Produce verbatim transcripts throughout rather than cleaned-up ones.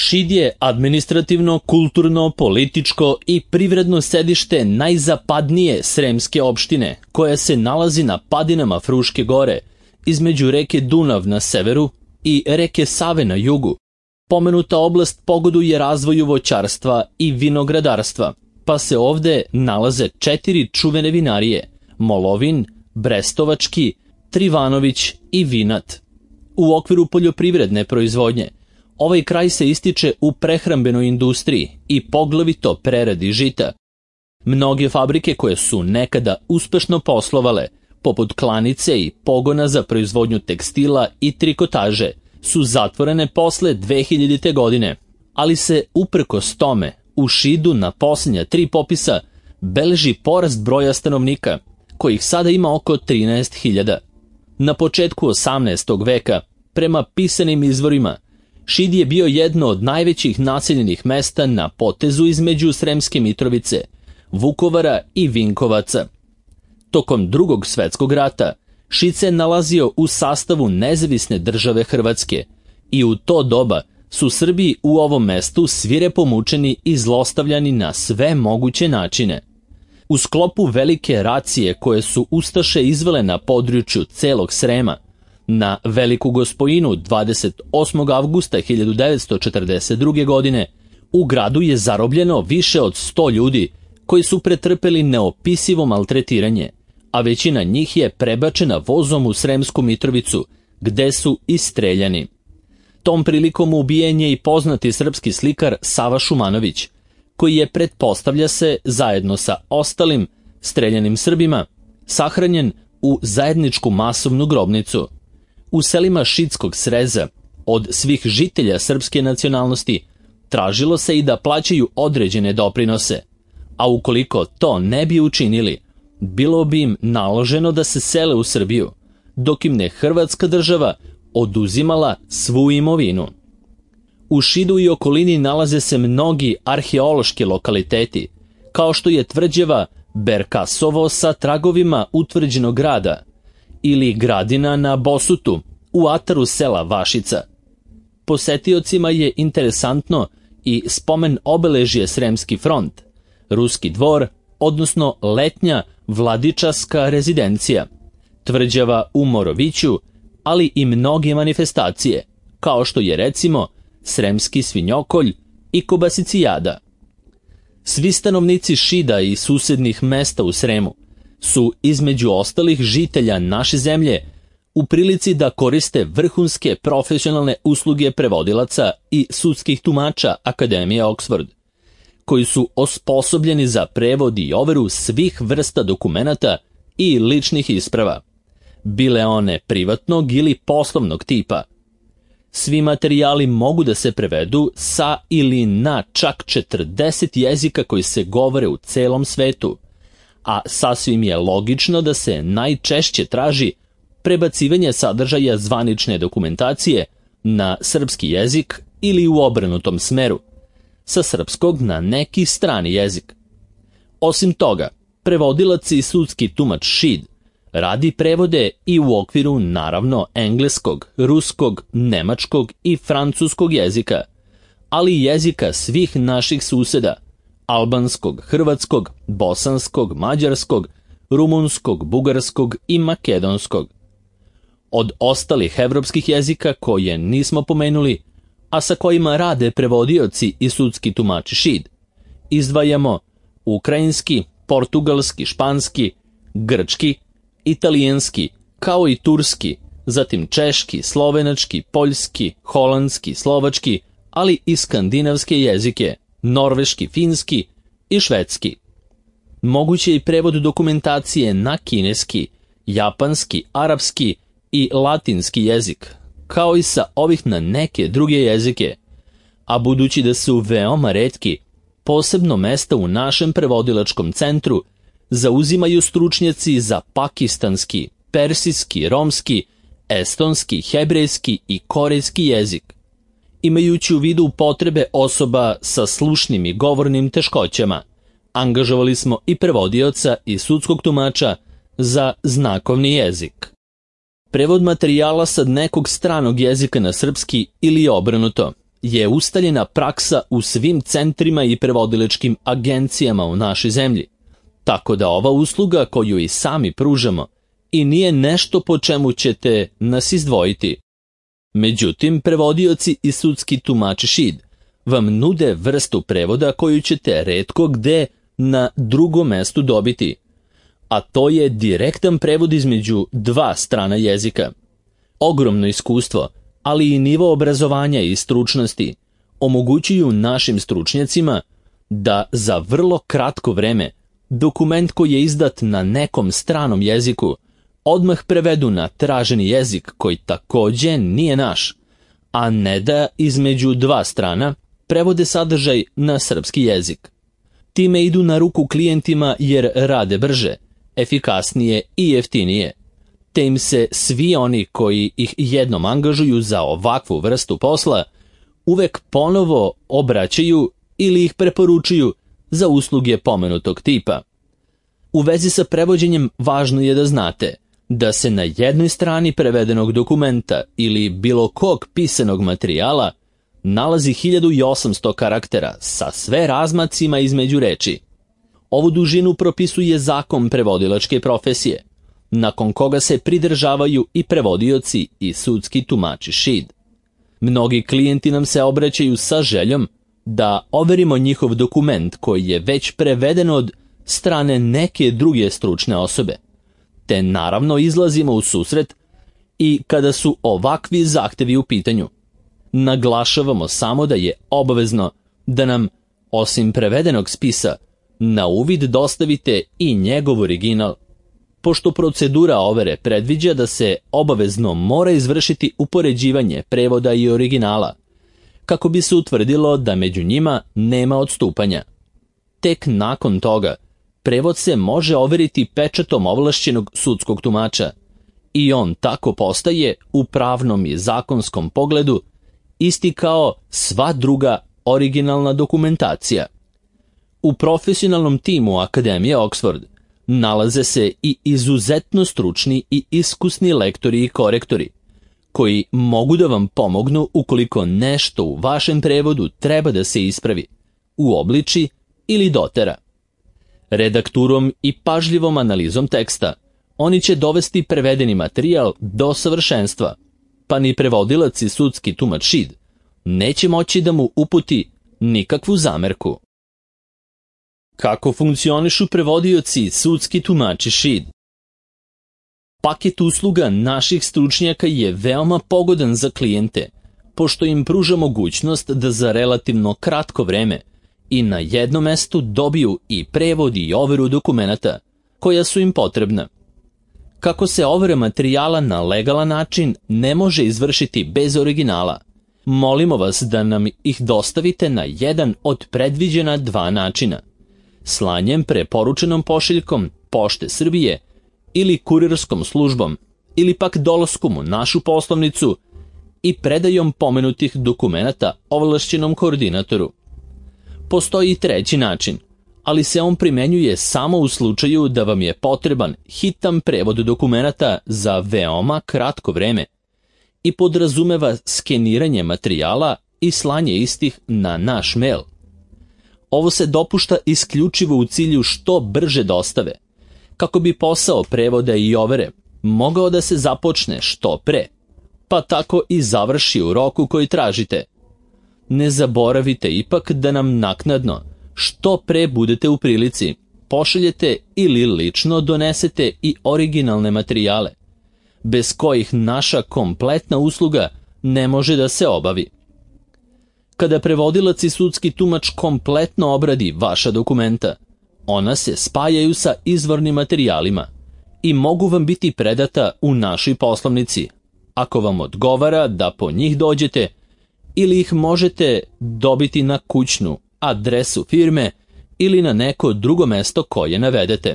Šid je administrativno, kulturno, političko i privredno sedište najzapadnije sremske opštine, koja se nalazi na padinama Fruške gore, između reke Dunav na severu i reke Save na jugu. Pomenuta oblast pogoduje razvoju voćarstva i vinogradarstva, pa se ovde nalaze četiri čuvene vinarije: Molovin, Brestovački, Trivanović i Vinat. U okviru poljoprivredne proizvodnje, ovaj kraj se ističe u prehrambenoj industriji i poglavito preradi žita. Mnoge fabrike koje su nekada uspešno poslovale, poput klanice i pogona za proizvodnju tekstila i trikotaže, su zatvorene posle dve hiljadite. godine, ali se uprkos tome u Šidu na posljednja tri popisa beleži porast broja stanovnika, kojih sada ima oko trinaest hiljada. Na početku osamnaestog veka, prema pisanim izvorima, Šid je bio jedno od najvećih naseljenih mesta na potezu između Sremske Mitrovice, Vukovara i Vinkovaca. Tokom Drugog svetskog rata Šid se nalazio u sastavu nezavisne države Hrvatske i u to doba su Srbi u ovom mestu svirepo mučeni i zlostavljani na sve moguće načine. U sklopu velike racije koje su ustaše izvele na području celog Srema, na Veliku Gospojinu dvadeset osmog avgusta hiljadu devetsto četrdeset druge. godine u gradu je zarobljeno više od sto ljudi koji su pretrpeli neopisivo maltretiranje, a većina njih je prebačena vozom u Sremsku Mitrovicu, gde su istreljani. Tom prilikom ubijen je i poznati srpski slikar Sava Šumanović, koji je, pretpostavlja se, zajedno sa ostalim streljanim Srbima, sahranjen u zajedničku masovnu grobnicu. U selima Šidskog sreza od svih žitelja srpske nacionalnosti tražilo se i da plaćaju određene doprinose, a ukoliko to ne bi učinili, bilo bi im naloženo da se sele u Srbiju, dok im ne Hrvatska država oduzimala svu imovinu. U Šidu i okolini nalaze se mnogi arheološki lokaliteti, kao što je tvrđava Berkasovo sa tragovima utvrđenog grada, ili gradina na Bosutu u ataru sela Vašica. Posetiocima je interesantno i spomen obeležje Sremski front, Ruski dvor, odnosno letnja vladičaska rezidencija, tvrđava u Moroviću, ali i mnoge manifestacije, kao što je recimo Sremski svinjokolj i Kobasicijada. Svi stanovnici Šida i susednih mesta u Sremu su, između ostalih žitelja naše zemlje, u prilici da koriste vrhunske profesionalne usluge prevodilaca i sudskih tumača Akademije Oxford, koji su osposobljeni za prevod i overu svih vrsta dokumenata i ličnih isprava, bile one privatnog ili poslovnog tipa. Svi materijali mogu da se prevedu sa ili na čak četrdeset jezika koji se govore u celom svetu, a sasvim je logično da se najčešće traži prebacivanje sadržaja zvanične dokumentacije na srpski jezik ili u obrnutom smeru, sa srpskog na neki strani jezik. Osim toga, prevodilac i sudski tumač Šid radi prevode i u okviru, naravno, engleskog, ruskog, nemačkog i francuskog jezika, ali i jezika svih naših suseda: albanskog, hrvatskog, bosanskog, mađarskog, rumunskog, bugarskog i makedonskog. Od ostalih evropskih jezika koje nismo pomenuli, a sa kojima rade prevodioci i sudski tumači Šid, izdvajamo ukrajinski, portugalski, španski, grčki, italijanski, kao i turski, zatim češki, slovenački, poljski, holandski, slovački, ali i skandinavske jezike, norveški, finski i švedski. Moguće je i prevod dokumentacije na kineski, japanski, arapski i latinski jezik, kao i sa ovih na neke druge jezike, a budući da su veoma retki, posebno mesta u našem prevodilačkom centru zauzimaju stručnjaci za pakistanski, persijski, romski, estonski, hebrejski i korejski jezik. Imajući u vidu potrebe osoba sa slušnim i govornim teškoćama, angažovali smo i prevodioca i sudskog tumača za znakovni jezik. Prevod materijala sa nekog stranog jezika na srpski ili obrnuto je ustaljena praksa u svim centrima i prevodilačkim agencijama u našoj zemlji, tako da ova usluga koju i sami pružamo i nije nešto po čemu ćete nas izdvojiti. Međutim, prevodioci i sudski tumači S H I D vam nude vrstu prevoda koju ćete retko gde na drugom mestu dobiti, a to je direktan prevod između dva strana jezika. Ogromno iskustvo, ali i nivo obrazovanja i stručnosti omogućuju našim stručnjacima da za vrlo kratko vreme dokument koji je izdat na nekom stranom jeziku odmah prevedu na traženi jezik koji takođe nije naš, a ne da između dva strana prevode sadržaj na srpski jezik. Time idu na ruku klijentima jer rade brže, efikasnije i jeftinije, te im se svi oni koji ih jednom angažuju za ovakvu vrstu posla uvek ponovo obraćaju ili ih preporučuju za usluge pomenutog tipa. U vezi sa prevođenjem važno je da znate da se na jednoj strani prevedenog dokumenta ili bilo kog pisanog materijala nalazi hiljadu osamsto karaktera sa sve razmacima između reči. Ovu dužinu propisuje zakon prevodilačke profesije, nakon koga se pridržavaju i prevodioci i sudski tumači S H I D. Mnogi klijenti nam se obraćaju sa željom da overimo njihov dokument koji je već preveden od strane neke druge stručne osobe, te naravno izlazimo u susret i kada su ovakvi zahtevi u pitanju. Naglašavamo samo da je obavezno da nam, osim prevedenog spisa, na uvid dostavite i njegov original, pošto procedura overe predviđa da se obavezno mora izvršiti upoređivanje prevoda i originala, kako bi se utvrdilo da među njima nema odstupanja. Tek nakon toga, prevod se može overiti pečatom ovlašćenog sudskog tumača i on tako postaje u pravnom i zakonskom pogledu isti kao sva druga originalna dokumentacija. U profesionalnom timu Akademije Oxford nalaze se i izuzetno stručni i iskusni lektori i korektori, koji mogu da vam pomognu ukoliko nešto u vašem prevodu treba da se ispravi, uobliči ili dotera. Redakturom i pažljivom analizom teksta oni će dovesti prevedeni materijal do savršenstva, pa ni prevodilac i sudski tumač S H I D neće moći da mu uputi nikakvu zamerku. Kako funkcionišu prevodioci i sudski tumači S H I D? Paket usluga naših stručnjaka je veoma pogodan za klijente, pošto im pruža mogućnost da za relativno kratko vreme i na jednom mestu dobiju i prevod i overu dokumenata koja su im potrebna. Kako se overa materijala na legalan način ne može izvršiti bez originala, molimo vas da nam ih dostavite na jedan od predviđena dva načina: slanjem preporučenom pošiljkom Pošte Srbije ili kurirskom službom, ili pak dolaskom u našu poslovnicu i predajom pomenutih dokumenata ovlašćenom koordinatoru. Postoji i treći način, ali se on primenjuje samo u slučaju da vam je potreban hitan prevod dokumenata za veoma kratko vreme i podrazumeva skeniranje materijala i slanje istih na naš mail. Ovo se dopušta isključivo u cilju što brže dostave, kako bi posao prevoda i overe mogao da se započne što pre, pa tako i završi u roku koji tražite. Ne zaboravite ipak da nam naknadno, što pre budete u prilici, pošaljete ili lično donesete i originalne materijale, bez kojih naša kompletna usluga ne može da se obavi. Kada prevodilac i sudski tumač kompletno obradi vaša dokumenta, ona se spajaju sa izvornim materijalima i mogu vam biti predata u našoj poslovnici, ako vam odgovara da po njih dođete, ili ih možete dobiti na kućnu adresu firme ili na neko drugo mesto koje navedete.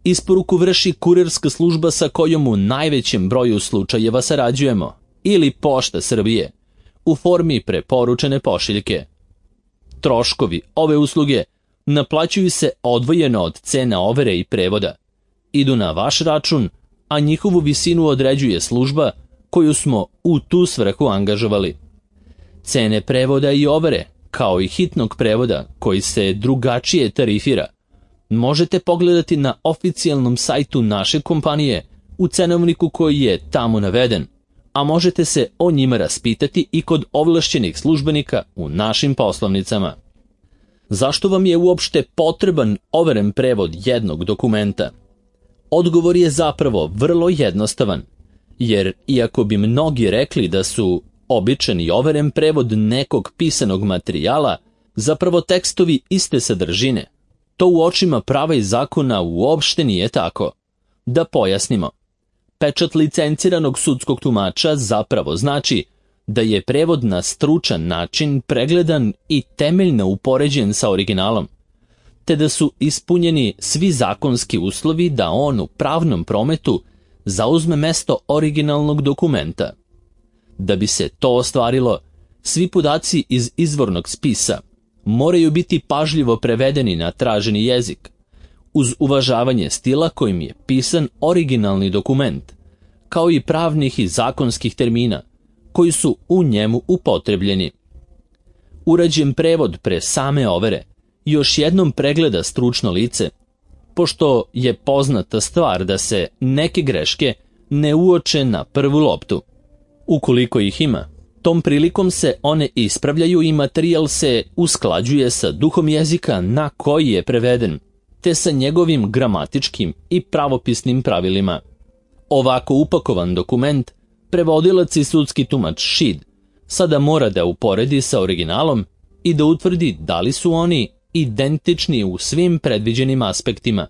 Isporuku vrši kurirska služba sa kojom u najvećem broju slučajeva sarađujemo, ili Pošta Srbije, u formi preporučene pošiljke. Troškovi ove usluge naplaćuju se odvojeno od cene overe i prevoda, idu na vaš račun, a njihovu visinu određuje služba koju smo u tu svrhu angažovali. Cene prevoda i overe, kao i hitnog prevoda koji se drugačije tarifira, možete pogledati na oficijalnom sajtu naše kompanije u cenovniku koji je tamo naveden, a možete se o njima raspitati i kod ovlašćenih službenika u našim poslovnicama. Zašto vam je uopšte potreban overen prevod jednog dokumenta? Odgovor je zapravo vrlo jednostavan, jer iako bi mnogi rekli da su običan i overen prevod nekog pisanog materijala zapravo tekstovi iste sadržine, to u očima prava i zakona uopšte nije tako. Da pojasnimo. Pečat licenciranog sudskog tumača zapravo znači da je prevod na stručan način pregledan i temeljno upoređen sa originalom, te da su ispunjeni svi zakonski uslovi da on u pravnom prometu zauzme mesto originalnog dokumenta. Da bi se to ostvarilo, svi podaci iz izvornog spisa moraju biti pažljivo prevedeni na traženi jezik, uz uvažavanje stila kojim je pisan originalni dokument, kao i pravnih i zakonskih termina koji su u njemu upotrebljeni. Urađen prevod pre same overe još jednom pregleda stručno lice, pošto je poznata stvar da se neke greške ne uoče na prvu loptu. Ukoliko ih ima, tom prilikom se one ispravljaju i materijal se usklađuje sa duhom jezika na koji je preveden, te sa njegovim gramatičkim i pravopisnim pravilima. Ovako upakovan dokument prevodilac i sudski tumač Šid sada mora da uporedi sa originalom i da utvrdi da li su oni identični u svim predviđenim aspektima,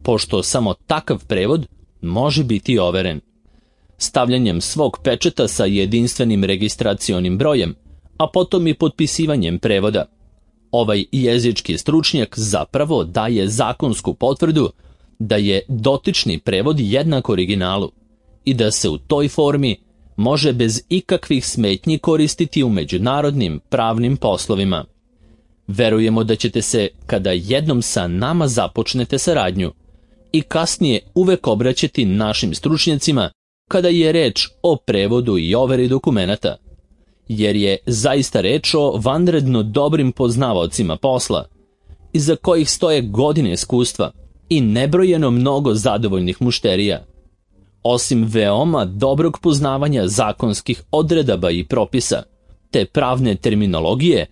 pošto samo takav prevod može biti overen. Stavljanjem svog pečata sa jedinstvenim registracionim brojem, a potom i potpisivanjem prevoda, ovaj jezički stručnjak zapravo daje zakonsku potvrdu da je dotični prevod jednak originalu i da se u toj formi može bez ikakvih smetnji koristiti u međunarodnim pravnim poslovima. Verujemo da ćete se, kada jednom sa nama započnete saradnju, i kasnije uvek obraćati našim stručnjacima kada je reč o prevodu i overi dokumenata, jer je zaista reč o vanredno dobrim poznavaocima posla, iza kojih stoje godine iskustva i nebrojeno mnogo zadovoljnih mušterija. Osim veoma dobrog poznavanja zakonskih odredaba i propisa, te pravne terminologije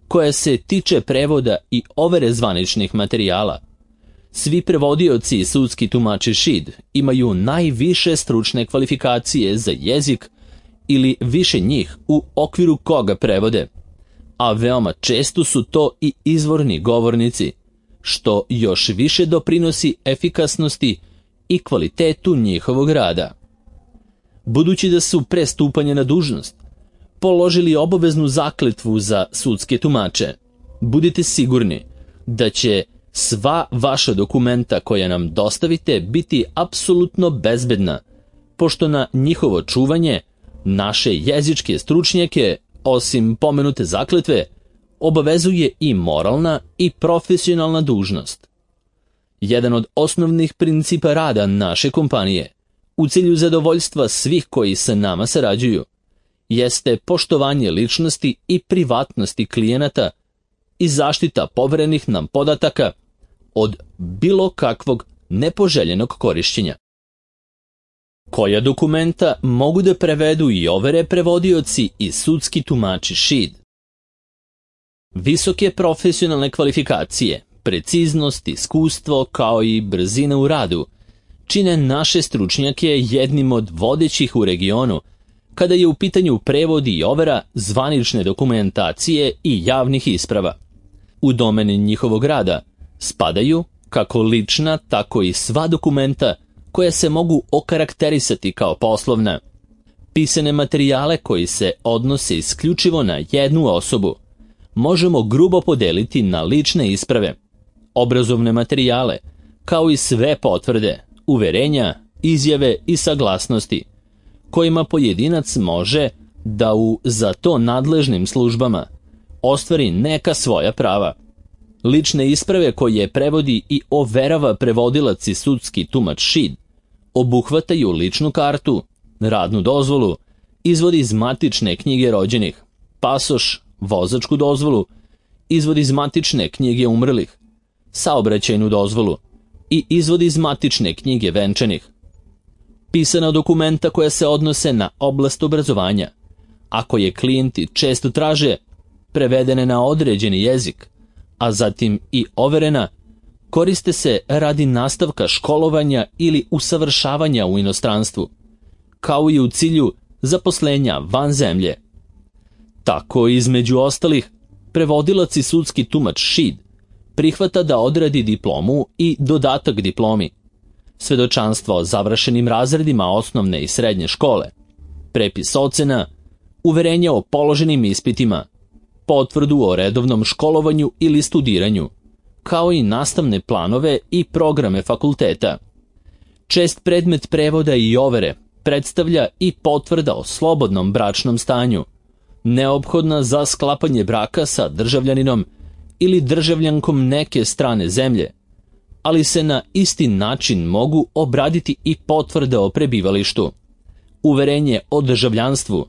koja se tiče prevoda i overe zvaničnih materijala, svi prevodioci i sudski tumači Šid imaju najviše stručne kvalifikacije za jezik ili više njih u okviru koga prevode, a veoma često su to i izvorni govornici, što još više doprinosi efikasnosti i kvalitetu njihovog rada. Budući da su pre stupanja na dužnost položili obaveznu zakletvu za sudske tumače, budite sigurni da će sva vaša dokumenta koja nam dostavite biti apsolutno bezbedna, pošto na njihovo čuvanje naše jezičke stručnjake, osim pomenute zakletve, obavezuje i moralna i profesionalna dužnost. Jedan od osnovnih principa rada naše kompanije, u cilju zadovoljstva svih koji sa nama sarađuju, jeste poštovanje ličnosti i privatnosti klijenata i zaštita poverenih nam podataka od bilo kakvog nepoželjenog korišćenja. Koja dokumenta mogu da prevedu i overe prevodioci i sudski tumači Šid? Visoke profesionalne kvalifikacije, preciznost, iskustvo kao i brzina u radu čine naše stručnjake jednim od vodećih u regionu kada je u pitanju prevod i overa zvanične dokumentacije i javnih isprava. U domeni njihovog rada spadaju kako lična, tako i sva dokumenta koja se mogu okarakterisati kao poslovna, pisane materijale koji se odnose isključivo na jednu osobu možemo grubo podeliti na lične isprave, obrazovne materijale, kao i sve potvrde, uverenja, izjave i saglasnosti, kojima pojedinac može da u za to nadležnim službama ostvari neka svoja prava. Lične isprave koje prevodi i overava prevodilac i sudski tumač Šid obuhvataju ličnu kartu, radnu dozvolu, izvod iz matične knjige rođenih, pasoš, vozačku dozvolu, izvod iz matične knjige umrlih, saobraćajnu dozvolu i izvod iz matične knjige venčanih. Pisana dokumenta koja se odnose na oblast obrazovanja, ako je klijenti često traže, prevedene na određeni jezik, a zatim i overena, koriste se radi nastavka školovanja ili usavršavanja u inostranstvu, kao i u cilju zaposlenja van zemlje. Tako, između ostalih, prevodilac i sudski tumač Šid prihvata da odradi diplomu i dodatak diplomi, svedočanstvo o završenim razredima osnovne i srednje škole, prepis ocena, uverenje o položenim ispitima, potvrdu o redovnom školovanju ili studiranju, kao i nastavne planove i programe fakulteta. Čest predmet prevoda i overe predstavlja i potvrda o slobodnom bračnom stanju, neophodna za sklapanje braka sa državljaninom ili državljankom neke strane zemlje, ali se na isti način mogu obraditi i potvrde o prebivalištu, uverenje o državljanstvu,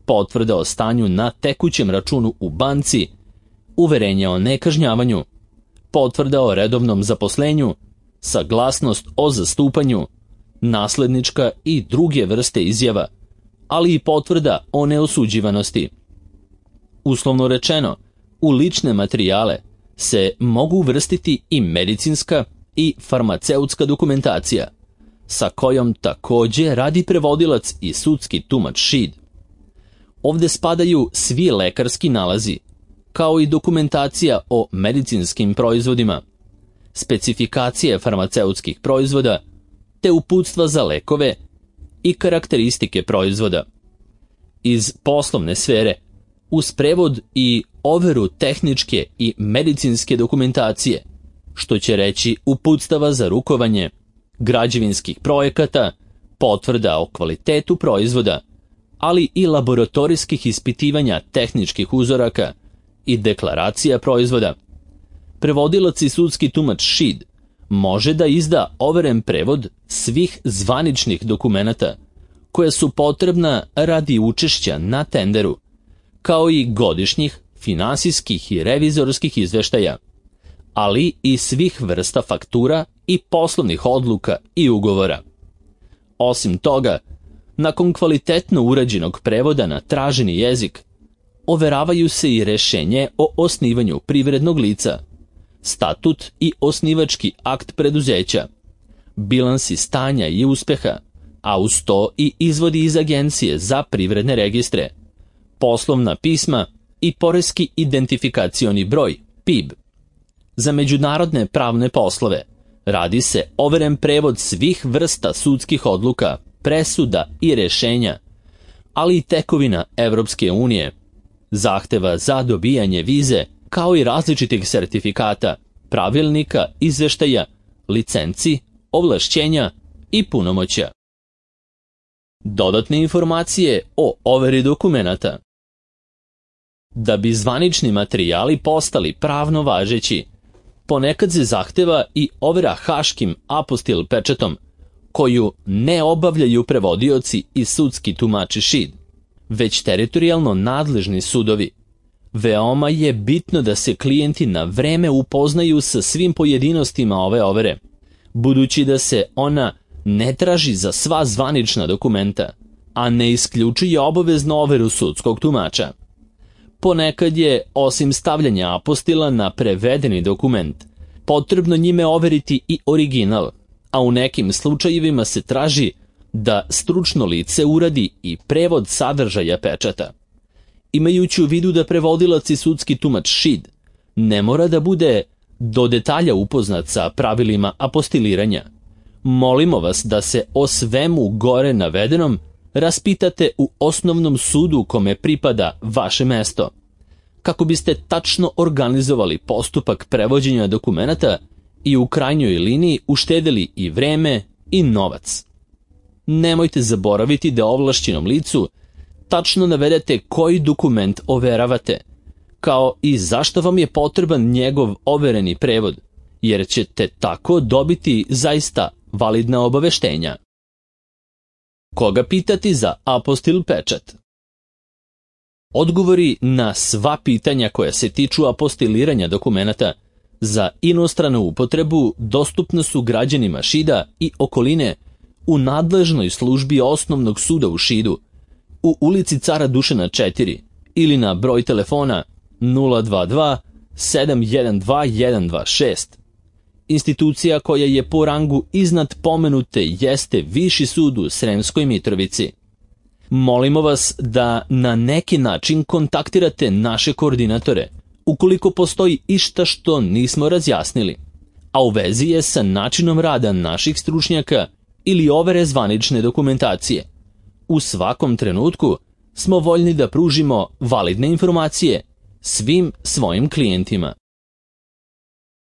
potvrda o stanju na tekućem računu u banci, uverenje o nekažnjavanju, potvrda o redovnom zaposlenju, saglasnost o zastupanju, naslednička i druge vrste izjava, ali i potvrda o neosuđivanosti. Uslovno rečeno, u lične materijale se mogu uvrstiti i medicinska i farmaceutska dokumentacija, sa kojom takođe radi prevodilac i sudski tumač Šid. Ovde spadaju svi lekarski nalazi, kao i dokumentacija o medicinskim proizvodima, specifikacije farmaceutskih proizvoda, te uputstva za lekove i karakteristike proizvoda. Iz poslovne sfere, uz prevod i overu tehničke i medicinske dokumentacije, što će reći uputstava za rukovanje, građevinskih projekata, potvrda o kvalitetu proizvoda, ali i laboratorijskih ispitivanja tehničkih uzoraka i deklaracija proizvoda. Prevodilac i sudski tumač Šid može da izda overen prevod svih zvaničnih dokumenata koja su potrebna radi učešća na tenderu, kao i godišnjih, finansijskih i revizorskih izveštaja, ali i svih vrsta faktura i poslovnih odluka i ugovora. Osim toga, nakon kvalitetno urađenog prevoda na traženi jezik, overavaju se i rešenje o osnivanju privrednog lica, statut i osnivački akt preduzeća, bilansi stanja i uspeha, a uz to i izvodi iz Agencije za privredne registre, poslovna pisma i poreski identifikacioni broj, P I B. Za međunarodne pravne poslove radi se overen prevod svih vrsta sudskih odluka, presuda i rešenja, ali i tekovina Evropske unije, zahteva za dobijanje vize, kao i različitih sertifikata, pravilnika, izveštaja, licenci, ovlašćenja i punomoćja. Dodatne informacije o overi dokumenata. Da bi zvanični materijali postali pravno važeći, ponekad se zahteva i overa haškim apostil pečatom, koju ne obavljaju prevodioci i sudski tumači Šid, već teritorijalno nadležni sudovi. Veoma je bitno da se klijenti na vreme upoznaju sa svim pojedinostima ove overe, budući da se ona ne traži za sva zvanična dokumenta, a ne isključuje obaveznu overu sudskog tumača. Ponekad je, osim stavljanja apostila na prevedeni dokument, potrebno njime overiti i original, a u nekim slučajevima se traži da stručno lice uradi i prevod sadržaja pečata. Imajući u vidu da prevodilac i sudski tumač Šid ne mora da bude do detalja upoznat sa pravilima apostiliranja, molimo vas da se o svemu gore navedenom raspitate u osnovnom sudu kome pripada vaše mesto, kako biste tačno organizovali postupak prevođenja dokumenata i u krajnjoj liniji uštedeli i vreme i novac. Nemojte zaboraviti da ovlašćenom licu tačno navedete koji dokument overavate, kao i zašto vam je potreban njegov overeni prevod, jer ćete tako dobiti zaista validna obaveštenja. Koga pitati za apostil pečat? Odgovori na sva pitanja koja se tiču apostiliranja dokumenata za inostranu upotrebu dostupni su građanima Šida i okoline u nadležnoj službi Osnovnog suda u Šidu, u ulici Cara Dušana četiri ili na broj telefona nula dva dva sedam jedan dva jedan dva šest. Institucija koja je po rangu iznad pomenute jeste Viši sud u Sremskoj Mitrovici. Molimo vas da na neki način kontaktirate naše koordinatore ukoliko postoji išta što nismo razjasnili, a u vezi je sa načinom rada naših stručnjaka ili overe zvanične dokumentacije. U svakom trenutku smo voljni da pružimo validne informacije svim svojim klijentima.